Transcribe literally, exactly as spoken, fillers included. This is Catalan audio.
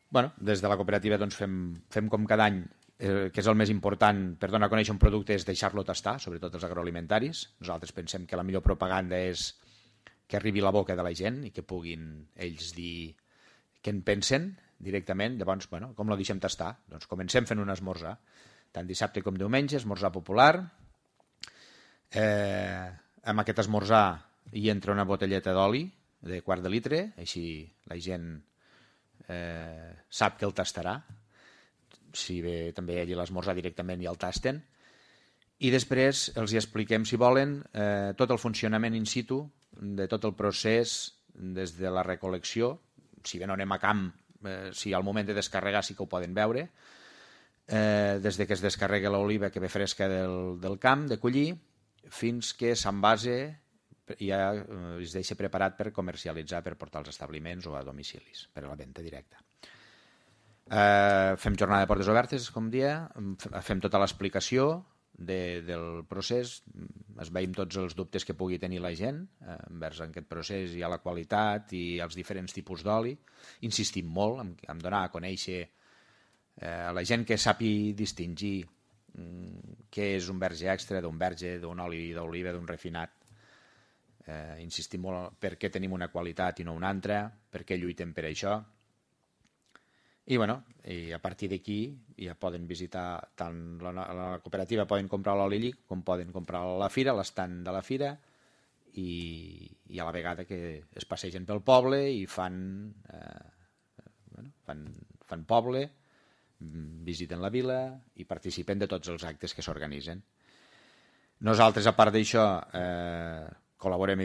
Bueno, des de la cooperativa doncs, fem, fem com cada any, eh, que és el més important per donar a conèixer un producte, és deixar-lo tastar, sobretot els agroalimentaris. Nosaltres pensem que la millor propaganda és que arribi a la boca de la gent i que puguin ells dir què en pensen directament. Llavors, bueno, com lo deixem tastar? Doncs comencem fent un esmorzar, tant dissabte com diumenge, esmorzar popular. Eh, amb aquest esmorzar hi entra una botelleta d'oli de quart de litre, així la gent eh, sap que el tastarà, si bé també allí l'esmorzar directament i el tasten, i després els hi expliquem, si volen, eh, tot el funcionament in situ de tot el procés des de la recol·lecció, si bé no anem a camp, eh, si al moment de descarregar sí que ho poden veure, eh, des de que es descarrega l'oliva que ve fresca del, del camp, de collir, fins que s'envase i ja es deixa preparat per comercialitzar, per portar als establiments o a domicilis, per a la venda directa. Eh, fem jornada de portes obertes, com dia, fem tota l'explicació de, del procés, es veiem tots els dubtes que pugui tenir la gent eh, envers aquest procés i a la qualitat i als diferents tipus d'oli. Insistim molt en, en donar a conèixer eh, a la gent que sàpi distingir mm, què és un verge extra d'un verge, d'un oli d'oliva, d'un refinat. Eh, insistim molt per què tenim una qualitat i no una altra, per què lluitem per això. I, bueno, i a partir d'aquí ja poden visitar tant la, la cooperativa, poden comprar l'oli llic com poden comprar a la fira, l'estand de la fira, i, i a la vegada que es passegen pel poble i fan, eh, bueno, fan, fan poble, visiten la vila i participen de tots els actes que s'organitzen. Nosaltres, a part d'això, eh, col·laborem